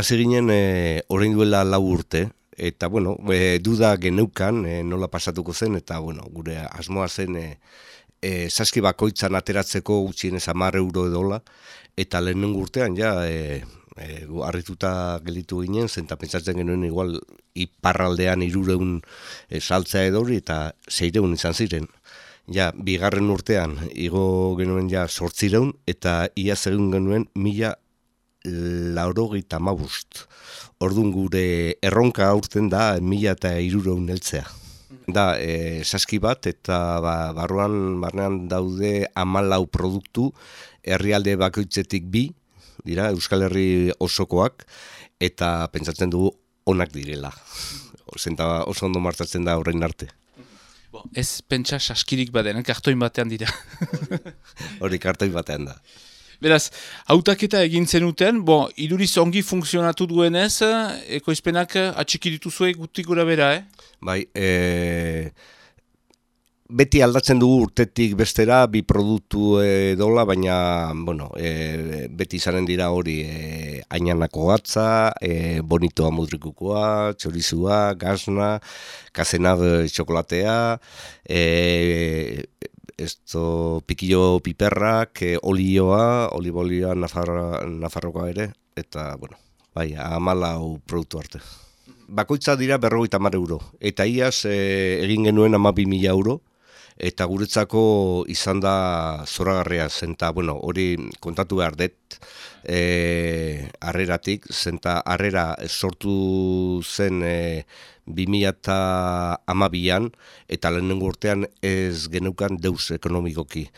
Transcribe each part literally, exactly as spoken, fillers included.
hasi ginen e, orain duela lau urte, eta bueno, e, duda geneukan e, nola pasatuko zen, eta bueno, gure asmoa zen e, e, saski bakoitzan ateratzeko gutxienez hamar euro edola, eta lehenengo urtean ja e, e, gu harrituta gelditu ginen, zenta pentsatzen genuen igual iparraldean hirureun e, saltzea edori eta seireun izan ziren. Ja, bigarren urtean igo genuen ja zortzireun, eta iaz egin genuen mila laurogeita hamabust. Orduan gure erronka aurten da mila eta hirureun heltzea. Da, e, saski bat eta ba, barruan barnean daude hamalau produktu, herrialde bakoitzetik bi, dira, Euskal Herri osokoak, eta pentsatzen dugu onak direla. Zenta oso ondo martzatzen da orain arte. Bo, ez pentsa saskirik baden, kartoin batean dira. Hori kartoin batean da. Beraz, hautaketa egin zenuten, bo, iduriz ongi funtzionatu duenez, ekoizpenak atxiki dituzue gutik gora bera, eh? Bai, e, beti aldatzen dugu urtetik bestera bi produktu edola, baina bueno, e, beti izanen dira hori e, ainanako gatza, e, bonitoa mudrikukoa, txorizua, gazna, kazenad txokolatea, e, esto pikillo piperrak, e, olioa, olibolioa nafarra, nafarrokoa ere, eta bueno, bai, hamalau produktu arte. Bakoitza dira berrogeita hamar euro, eta iaz e, egin genuen hamabi mila euro, eta guretzako izan da zoragarria zen, eta bueno, hori kontatu behar dut e, harreratik, zenta harrera sortu zen e, bi mila hamabian, eta lehenengo urtean ez geneukan deus ekonomikoki.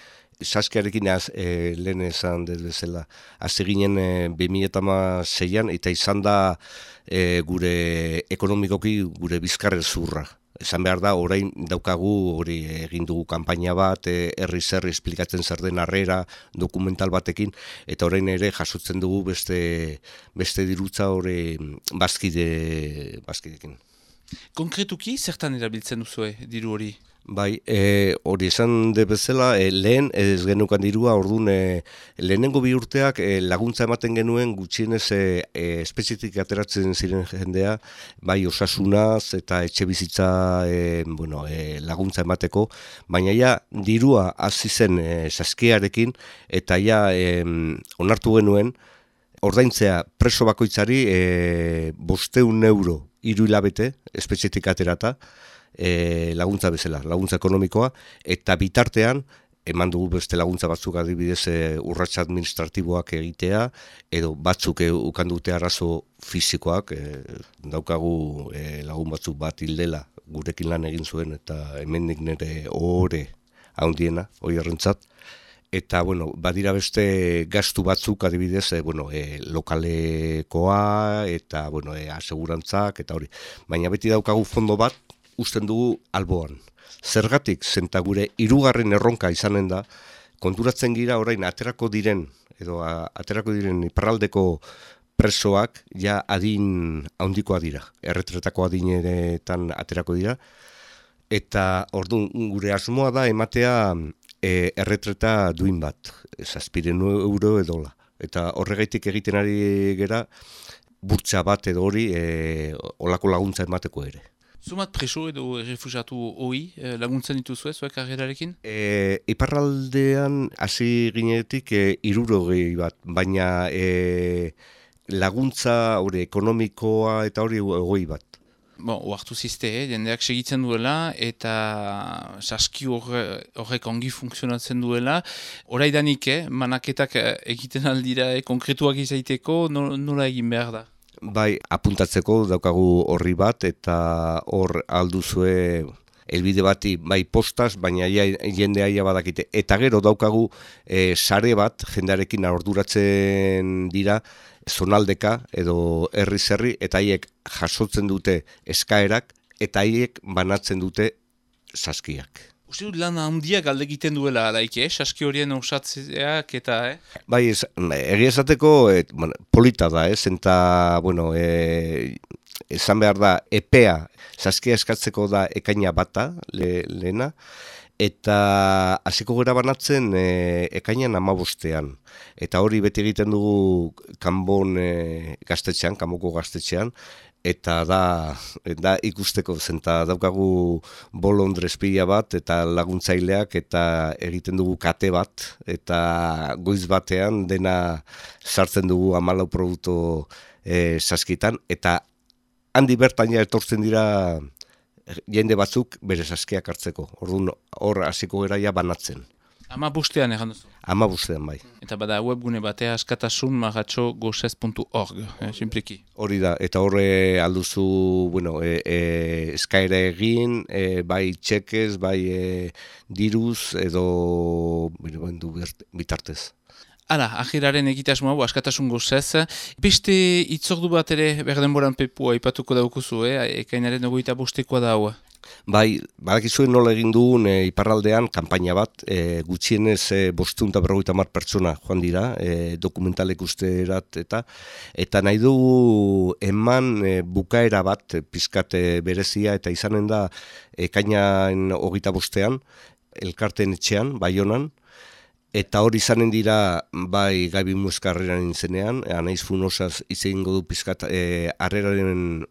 Saskiarekin az, e, lehen esan dut bezala, hasi ginen e, bi mila hamaseian, eta izan da e, gure ekonomikoki gure bizkarre zurra. Esan behar da, orain daukagu hori egin dugu kanpaina bat, herri zerri esplikatzen zer den harrera, dokumental batekin, eta orain ere jasotzen dugu beste, beste dirutza hori bazkide, bazkidekin. Konkretuki, zertan erabiltzen duzue diru hori? Bai, e, hori esan de bezala, e, lehen ez genukan dirua, orduan e, lehenengo bi urteak e, laguntza ematen genuen gutxienez e, e, espezitik ateratzen ziren jendea, bai osasunaz eta etxe bizitza e, bueno, e, laguntza emateko, baina ja dirua hasi zen e, saskiarekin, eta ja e, onartu genuen, ordaintzea preso bakoitzari e, bosteun euro hiru hilabete espezitik aterata, E, laguntza bezala, laguntza ekonomikoa, eta bitartean eman dugu beste laguntza batzuk adibidez e, urratsa administratiboak egitea, edo batzuk e, ukan dute arazo fisikoak, e, daukagu e, lagun batzuk bat hildela gurekin lan egin zuen, eta hemendik nire ohore handiena, hori errentzat. Eta, bueno, badira beste gastu batzuk adibidez, e, bueno, e, lokalekoa, eta, bueno, e, asegurantzak, eta hori. Baina beti daukagu fondo bat, usten dugu alboan. Zergatik, zenta gure hirugarren erronka izanen da, konturatzen gira orain aterako diren, edo a, aterako diren iparraldeko presoak ja adin handikoa dira. Erretretako adinetan aterako dira. Eta orduan gure asmoa da ematea e, erretreta duin bat, zazpiren euro edola. Eta horregaitik egiten ari gera, burtsa bat edo hori e, olako laguntza emateko ere. Zumat preso edo refugiatu hoi laguntzen dituzue, zuek karrerarekin? E, iparraldean hasi ginetik e, hirurogei bat, baina e, laguntza hori ekonomikoa eta hori hogei bat. Bon, oartu zizte, eh? Jendeak segitzen duela eta saski horrek ongi funtzionatzen duela. Horaidanik, eh? Manaketak egiten aldira eh? Konkretuak izaiteko, nola egin behar da? Bai, apuntatzeko daukagu horri bat, eta hor alduzue helbide bati bai postaz, baina ja, jendea ia badakite. Eta gero daukagu e, sare bat, jendearekin orduratzen dira, zonaldeka edo herri zerri, eta haiek jasotzen dute eskaerak, eta haiek banatzen dute saskiak. Uste dut lan handiak alde egiten duela, daik, eh? Saski horien osatzeak eta, eh? Bai, ez, egia esateko et, bueno, polita da, ez, eta, bueno, e, esan behar da, epea, saskia eskatzeko da ekaina bata, le, lehena, eta hasiko gara banatzen e, ekainan amabostean. Eta hori beti egiten dugu kanbon e, gaztetxean, kanboko gaztetxean, eta da, da ikusteko zenta daukagu bolondrez pila bat eta laguntzaileak eta egiten dugu kate bat eta goiz batean dena sartzen dugu hamalau produktu e, saskitan eta handi bertan ja etortzen dira jende batzuk bere saskiak hartzeko. Orduan hor hasiko gara ja banatzen. Ama bustean egan duzu? Ama bustean, bai. Eta bada webgune batea askatasun marratxo gozes puntu org, eh, simpliki. Hori da, eta horre alduzu, bueno, e, e, eskaera egin, e, bai txekez, bai e, diruz, edo bueno, du bitartez. Hala, ahiraren egitasmo hau, askatasun gozez. Beste itzordu bat ere berdenboran pepua ipatuko daukuzu, eh? Ekainaren ogoita bostekoa da hau. Bai, badakizuen nola egin dugun e, iparraldean kanpaina bat, e, gutxienez e, bosteun eta berrogeita hamar pertsona joan dira, e, dokumentalek usterat eta eta nahi dugu eman e, bukaera bat, e, pizkat e, berezia eta izanen da ekainan hogeita bostean, elkarteen etxean, Baionan, eta hori izanen dira bai Gabi Muezkarreran intzenean, Anaiz Funosaz izegingo du pizkat e, arreraren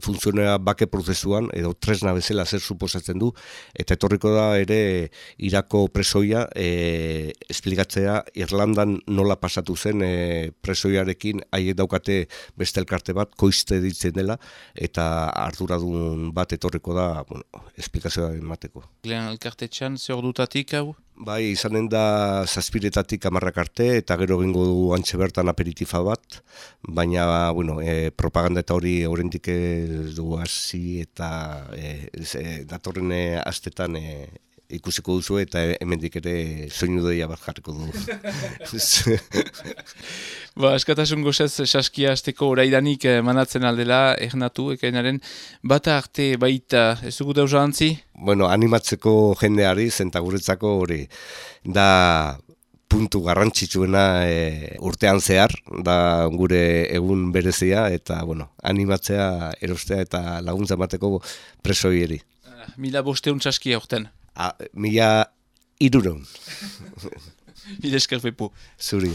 funtzionea bake prozesuan, edo tresna bezala zer suposatzen du, eta etorriko da ere Irako presoia e, esplikatzea Irlandan nola pasatu zen e, presoiarekin, haiek daukate beste elkarte bat, koizte ditzen dela, eta arduradun bat etorriko da, bueno, esplikazioa emateko. Lehen elkartetxean, ze ordutatik hau? Bai, izanen da zazpiretatik hamarrak arte, eta gero egingo du antxe bertan aperitifa bat, baina, bueno, e, propaganda eta hori oraindik ez du hasi eta e, e, datorren e, astetan e, ikusiko duzu eta hemendik ere soinu doia bat jarriko du. Ba, askatasun gozez saskia azteko oraidanik manatzen aldela, ernatu, ekainaren bata arte baita, ez dugu dauza antzi? Bueno, animatzeko jendeari, zenta guretzako hori, da puntu garrantzitsuena e, urtean zehar, da gure egun berezia, eta, bueno, animatzea, erostea eta laguntza emateko presoieri. Mila bosteun saskia urten. A, mila iruron. Mila esker pepu. Zuri.